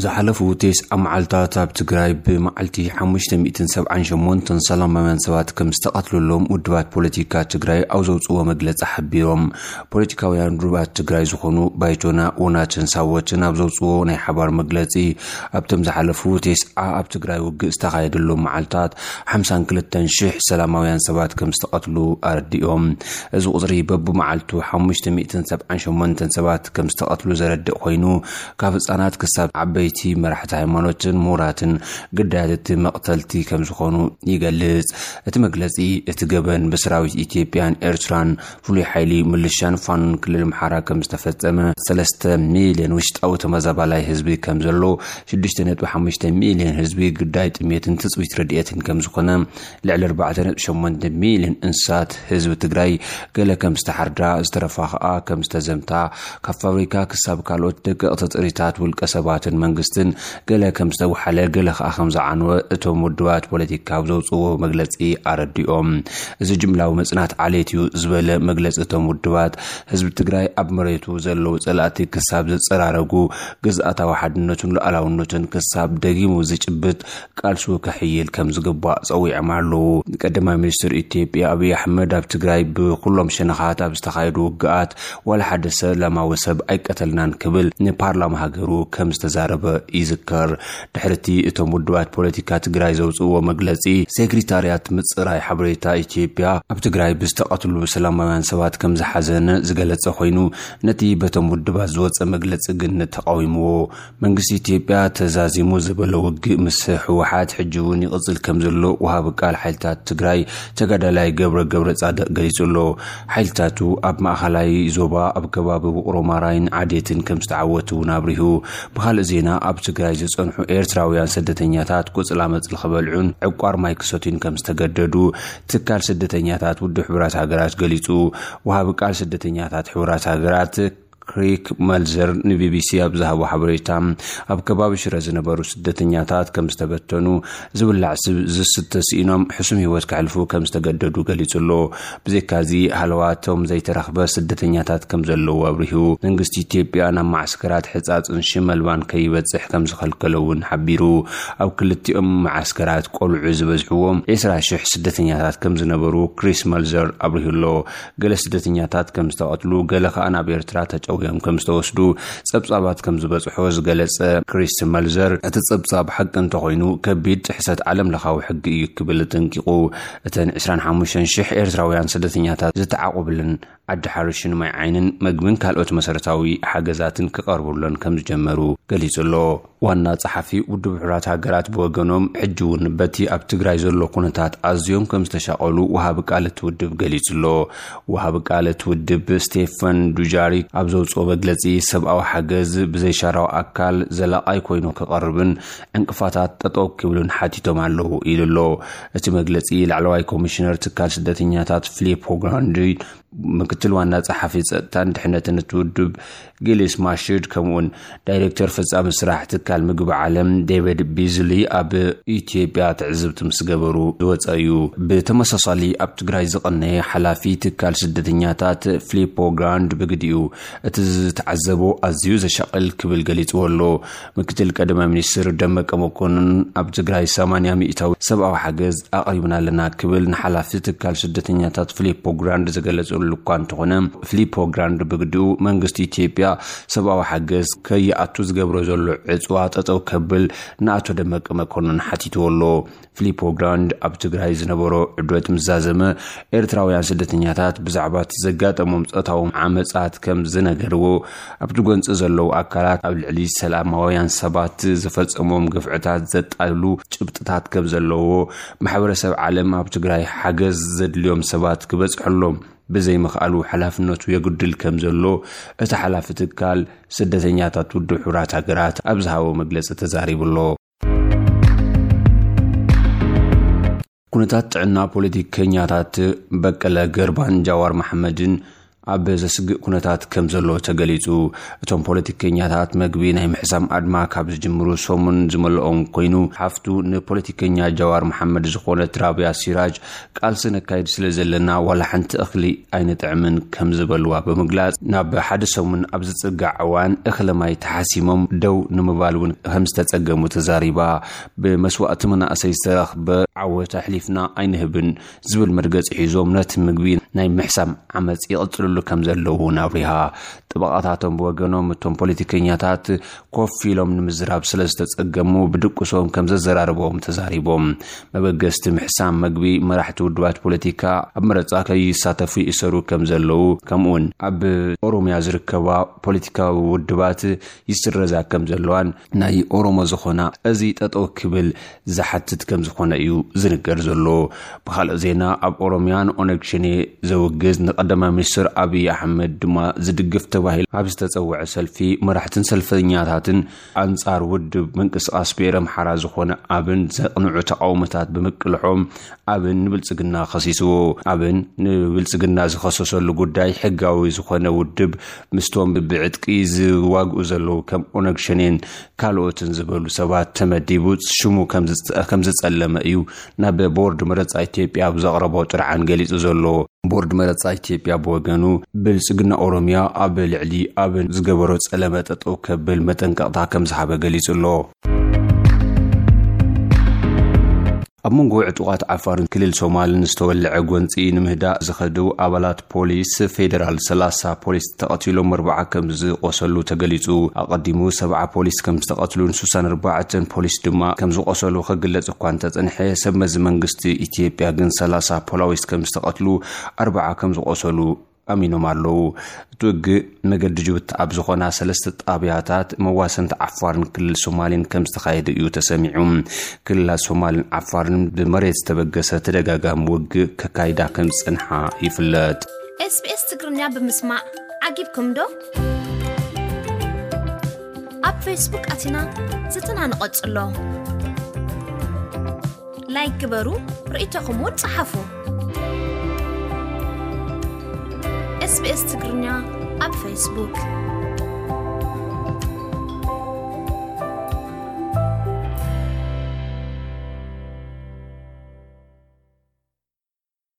ዝሓለፉ ተስዓ መዓልታት ኣብ ትግራይ ብመዓልቲ ሓሙሽተ ሚእትን ሰብዓን ሸሞንተን ሰላማውያን ሰባት ከም ዝተቐትሉሎም ውድባት ፖለቲካ ትግራይ ኣብ ዘውፅዎ መግለፂ ሓቢሮም። ፖለቲካውያን ውድባት ትግራይ ዝኾኑ ባይቶና፣ ውናትን ሳወትን ኣብ ዘውፅዎ ናይ ሓባር መግለፂ፣ ኣብቶም ዝሓለፉ ተስዓ ኣብ ትግራይ ውግእ ዝተኻየደሎም መዓልታት ሓምሳን ክልተን ሽሕ ሰላማውያን ሰባት ከም ዝተቐትሉ ኣረዲኦም። እዚ ቁፅሪ በብመዓልቱ ሓሙሽተ ሚእትን ሰብዓን ሸሞንተን ሰባት ከም ዝተቐትሉ ዘረድእ ኮይኑ፣ ካብ ህፃናት ክሳብ ዓበይቲ፣ መራሕቲ ሃይማኖትን ምሁራትን ግዳያት እቲ መቕተልቲ ከም ዝኾኑ ይገልጽ። እቲ መግለጺ፣ እቲ ገበን ብሰራዊት ኢትዮጵያን ኤርትራን፣ ፍሉይ ሓይሊ ምልሻን ፋኖን ክልል ኣምሓራ ከም ዝተፈጸመ፣ ሰለስተ ሚልዮን ውሽጣዊ ተመዛባላይ ህዝቢ ከም ዘሎ፣ ሽዱሽተ ነጥቢ ሓሙሽተ ሚልዮን ህዝቢ ግዳይ ጥሜትን ትጽቢት ረድኤትን ከም ዝኾነ፣ ልዕሊ ኣርባዕተ ነጥቢ ሸሞንተ ሚልዮን እንስሳት ህዝቢ ትግራይ፣ ገለ ከም ዝተሓርዳ፣ ዝተረፋ ኸኣ ከም ዝተዘምታ፣ ካብ ፋብሪካ ክሳብ ካልኦት ደቀቕቲ ጥሪታት ውልቀ ሰባትን መንግስትን ገለ ከም ዝተወሓለ፣ ገለ ኸኣ ከም ዝዓነወ እቶም ውድባት ፖለቲካ ኣብ ዘውፅዎ መግለፂ ኣረዲኦም። እዚ ጅምላዊ መፅናት ዓሌት እዩ ዝበለ መግለፂ እቶም ውድባት፣ ህዝቢ ትግራይ ኣብ መሬቱ ዘለዉ ፀላእቲ ክሳብ ዝፀራረጉ፣ ግዝኣታዊ ሓድነቱን ሉዓላውነቱን ክሳብ ደጊሙ ዝጭብጥ ቃልሱ ከሕይል ከም ዝግባእ ጸዊዖም ኣለዉ። ቀዳማይ ሚኒስትር ኢትዮጵያ ኣብይ ኣሕመድ ኣብ ትግራይ ብኩሎም ሸነኻት ኣብ ዝተኻየዱ ውግኣት ዋላ ሓደ ሰላማዊ ሰብ ኣይቀተልናን ክብል ንፓርላማ ሃገሩ ከም ዝተዛረበ ይዝከር። ድሕርቲ እቶም ውድባት ፖለቲካ ትግራይ ዘውፅእዎ መግለፂ፣ ሴክሪታርያት ምፅራይ ሓበሬታ ኢትዮጵያ ኣብ ትግራይ ብዝተቐትሉ ሰላማውያን ሰባት ከም ዝሓዘነ ዝገለጸ ኮይኑ፣ ነቲ በቶም ውድባት ዝወፀ መግለፂ ግን ተቃዊምዎ። መንግስቲ ኢትዮጵያ ተዛዚሙ ዝበሎ ውግእ ምስ ህወሓት ሕጂ እውን ይቕጽል ከም ዘሎ ወሃቢ ቃል ሓይልታት ትግራይ ተጋዳላይ ገብረ ገብረ ጻድቕ ገሊጹ ኣሎ። ሓይልታቱ ኣብ ማእኸላይ ዞባ ኣብ ከባቢ ውቕሮ ማራይን ዓዴትን ከም ዝተዓወቱ እውን ኣብሪሁ። ብኻልእ ዜና፣ ኣብ ትግራይ ዝጸንሑ ኤርትራውያን ስደተኛታት ቁጽላ መጽሊ ክበልዑን ዕቋር ማይ ክሰትዩን ከም ዝተገደዱ ትካል ስደተኛታት ውድብ ሕቡራት ሃገራት ገሊጹ። ወሃቢ ቃል ስደተኛታት ሕቡራት ሃገራት ክሪስ መልዘር ንቢቢሲ ኣብ ዝሃቦ ሓበሬታ፣ ኣብ ከባቢ ሽረ ዝነበሩ ስደተኛታት ከም ዝተበተኑ፣ ዝብላዕ ስብ ዝስተ ስኢኖም ሕሱም ህይወት ከሕልፉ ከም ዝተገደዱ ገሊጹ ኣሎ። ብዘይካዚ፣ ሃለዋቶም ዘይተረኽበ ስደተኛታት ከም ዘለዉ ኣብሪሁ። መንግስቲ ኢትዮጵያ ናብ ማዕስከራት ሕጻጽን ሽመልባን ከይበጽሕ ከም ዝኸልከሎ እውን ሓቢሩ። ኣብ ክልቲኦም መዓስከራት ቆልዑ ዝበዝሕዎም ዕስራ ሽሕ ስደተኛታት ከም ዝነበሩ ክሪስ መልዘር ኣብሪሁ ኣሎ። ገለ ስደተኛታት ከም ዝተቐትሉ፣ ገለ ከኣ ናብ ኤርትራ ተጨውዮም ከም ዝተወስዱ ጸብጻባት ከም ዝበጽሖ ዝገለጸ ክሪስ መልዘር፣ እቲ ጸብጻብ ሓቂ እንተኾይኑ፣ ከቢድ ጥሕሰት ዓለም ለኻዊ ሕጊ እዩ ክብል ኣጠንቂቑ። እተን ዕስራን ሓሙሽተን ሽሕ ኤርትራውያን ስደተኛታት ዝተዓቑብለን ዓዲ ሓርሽን ማይ ዓይንን መግብን ካልኦት መሰረታዊ ሓገዛትን ክቐርቡለን ከም ዝጀመሩ ገሊጹ ኣሎ። ዋና ጸሓፊ ውድብ ሕቡራት ሃገራት ብወገኖም፣ ሕጂ እውን በቲ ኣብ ትግራይ ዘሎ ኩነታት ኣዝዮም ከም ዝተሻቐሉ ወሃቢ ቃል እቲ ውድብ ገሊጹ ኣሎ። ወሃቢ ቃል እቲ ውድብ ስቴፈን ዱጃሪክ ኣብ ዘውጽኦ መግለጺ፣ ሰብኣዊ ሓገዝ ብዘይሻራዊ ኣካል ዘላቓይ ኮይኑ ክቐርብን ዕንቅፋታት ጠጠው ክብሉን ሓቲቶም ኣለዉ ኢሉ ኣሎ። እቲ መግለጺ ላዕለዋይ ኮሚሽነር ትካል ስደተኛታት ፊሊፖ ግራንዲ፣ ምክትል ዋና ጸሓፊ ጸጥታን ድሕነትን እቲ ውድብ ጊሊስ ማሽድ፣ ከምኡውን ዳይሬክተር ፈጻሚ ስራሕ ትካል ምግቢ ዓለም ዴቪድ ቢዝሊ ኣብ ኢትዮጵያ ትዕዝብቲ ምስ ገበሩ ዝወጸ እዩ። ብተመሳሳሊ ኣብ ትግራይ ዝቐነየ ሓላፊ ትካል ስደተኛታት ፊሊፖ ግራንድ ብግዲኡ፣ እቲ ዝተዓዘቦ ኣዝዩ ዘሻቕል ክብል ገሊጽዎ ኣሎ። ምክትል ቀዳማይ ሚኒስትር ደመቀ መኮንን ኣብ ትግራይ ሰማንያ ሚእታዊ ሰብኣዊ ሓገዝ ኣቕሪብና ኣለና ክብል ንሓላፊ ትካል ስደተኛታት ፊሊፖ ግራንድ ዝገለጸሉ እኳ እንተኾነ፣ ፊሊፖ ግራንድ ብግዲኡ መንግስቲ ኢትዮጵያ ሰብኣዊ ሓገዝ ከይኣቱ ዝገብሮ ዘሎ ዕጽዋ ጠጠው ከብል ንኣቶ ደመቀ መኮንን ሓቲትዎ ኣሎ። ፊሊፖ ግራንድ ኣብ ትግራይ ዝነበሮ ዕድወት ምስ ዛዘመ፣ ኤርትራውያን ስደተኛታት ብዛዕባ እቲ ዘጋጠሞም ጾታዊ ዓመጻት ከም ዝነገርዎ፣ ኣብቲ ጎንጺ ዘለዉ ኣካላት ኣብ ልዕሊ ሰላማውያን ሰባት ዝፈጸሞም ግፍዕታት ዘጣልሉ ጭብጥታት ከም ዘለዎ፣ ማሕበረሰብ ዓለም ኣብ ትግራይ ሓገዝ ዘድልዮም ሰባት ክበጽሐሎም ብዘይምኽኣሉ ሓላፍነቱ የጉድል ከም ዘሎ እቲ ሓላፊ ትካል ስደተኛታት ውድብ ሕቡራት ሃገራት ኣብ ዝሃቦ መግለጺ ተዛሪቡ ኣሎ። ኩነታት ጥዕና ፖለቲከኛታት በቀለ ገርባን ጃዋር መሓመድን ኣብ ዘስግእ ኩነታት ከም ዘሎ ተገሊጹ። እቶም ፖለቲከኛታት መግቢ ናይ ምሕሳም ኣድማ ካብ ዝጅምሩ ሰሙን ዝመልኦም ኮይኑ፣ ሓፍቱ ንፖለቲከኛ ጃዋር መሓመድ ዝኾነት ራብያ ሲራጅ፣ "ቃልሲ ነካይድ ስለ ዘለና ዋላ ሓንቲ እኽሊ ኣይንጥዕምን" ከም ዝበልዋ ብምግላጽ፣ ናብ ሓደ ሰሙን ኣብ ዝጽጋዕ እዋን እኽለ ማይ ተሓሲሞም ደው ንምባል እውን ከም ዝተጸገሙ ተዛሪባ። "ብመስዋእቲ መናእሰይ ዝተረኽበ ዓወት ኣሕሊፍና ኣይንህብን" ዝብል መርገጺ ሒዞም፣ ነቲ ምግቢ ናይ ምሕሳም ዓመጽ ይቕጽልሉ ከም ዘለዉ እውን ኣብሪሃ። ጠበቓታቶም ብወገኖም፣ እቶም ፖለቲከኛታት ኮፍ ኢሎም ንምዝራብ ስለ ዝተጸገሙ፣ ብድቁሶም ከም ዘዘራርቦም ተዛሪቦም። መበገስቲ ምሕሳም መግቢ፣ መራሕቲ ውድባት ፖለቲካ ኣብ መረጻ ከይሳተፉ ይእሰሩ ከም ዘለዉ፣ ከምኡውን ኣብ ኦሮምያ ዝርከባ ፖለቲካዊ ውድባት ይስረዛ ከም ዘለዋን፣ ናይ ኦሮሞ ዝኾና እዚ ጠጠው ክብል ዝሓትት ከም ዝኾነ እዩ ዝንገር ዘሎ። ብኻልእ ዜና፣ ኣብ ኦሮምያ ንኦነግ ሸኔ ዘውግዝ፣ ንቀዳማይ ሚኒስትር ኣብይ ኣሕመድ ድማ ዝድግፍ ተባሂሉ ኣብ ዝተጸውዐ ሰልፊ፣ መራሕትን ሰልፈኛታትን ኣንጻር ውድብ ምንቅስቃስ ብኤረ ኣምሓራ ዝኾነ ኣብን ዘቕንዑ ተቃውሞታት ብምቅልሖም፣ ኣብን ንብልጽግና ከሲስዎ። ኣብን ንብልጽግና ዝኸሰሰሉ ጉዳይ፣ ሕጋዊ ዝኾነ ውድብ ምስቶም ብዕጥቂ ዝዋግኡ ዘለዉ ከም ኦነግ ሸኔን ካልኦትን ዝበሉ ሰባት ተመዲቡ ሽሙ ከም ዝጸ-፣ ከም ዝጸለመ እዩ ናብ ቦርድ መረጻ ኢትዮጵያ ኣብ ዘቕረቦ ጥርዓን ገሊጹ ዘሎ። ቦርድ መረጻ ኢትዮጵያ ብወገኑ፣ ብልጽግና ኦሮምያ ኣብ ልዕሊ ኣብን ዝገበሮ ጸለመ ጠጠው ከብል መጠንቀቕታ ከም ዝሃበ ገሊጹ ኣሎ። ኣብ መንጎ ዕጡቓት ዓፋርን ክልል ሶማልን ዝተወልዐ ጎንጺ ንምህዳእ ዝኸዱ ኣባላት ፖሊስ ፌደራል፣ ሰላሳ ፖሊስ ተቐቲሎም፣ ኣርባዓ ከም ዝቆሰሉ ተገሊጹ። ኣቐዲሙ ሰብዓ ፖሊስ ከም ዝተቐትሉን ስሳን ኣርባዕተን ፖሊስ ድማ ከም ዝቆሰሉ ክግለጽ እኳ እንተጸንሐ፣ ሰብ መዚ መንግስቲ ኢትዮጵያ ግን ሰላሳ ፖላዊስ ከም ዝተቐትሉ፣ ኣርባዓ ከም ዝቆሰሉ ኣሚኖም ኣለዉ። እቲ ውግእ መገዲ ጅቡቲ ኣብ ዝኾና ሰለስተ ጣብያታት መዋሰንቲ ዓፋርን ክልል ሶማልን ከም ዝተኻየደ እዩ ተሰሚዑ። ክልላት ሶማልን ዓፋርን ብመሬት ዝተበገሰ ተደጋጋሚ ውግእ ከካይዳ ከም ዝጸንሓ ይፍለጥ። SBS ትግርኛ ብምስማዕ ዓጊብኩም ዶ? ኣብ ፌስቡክ ኣቲና ዝትና ንቐጽሎ። ላይክ ግበሩ፣ ርእይቶኹም እውን ጸሓፉ። SBS ትግርኛ ኣብ ፌስቡክ።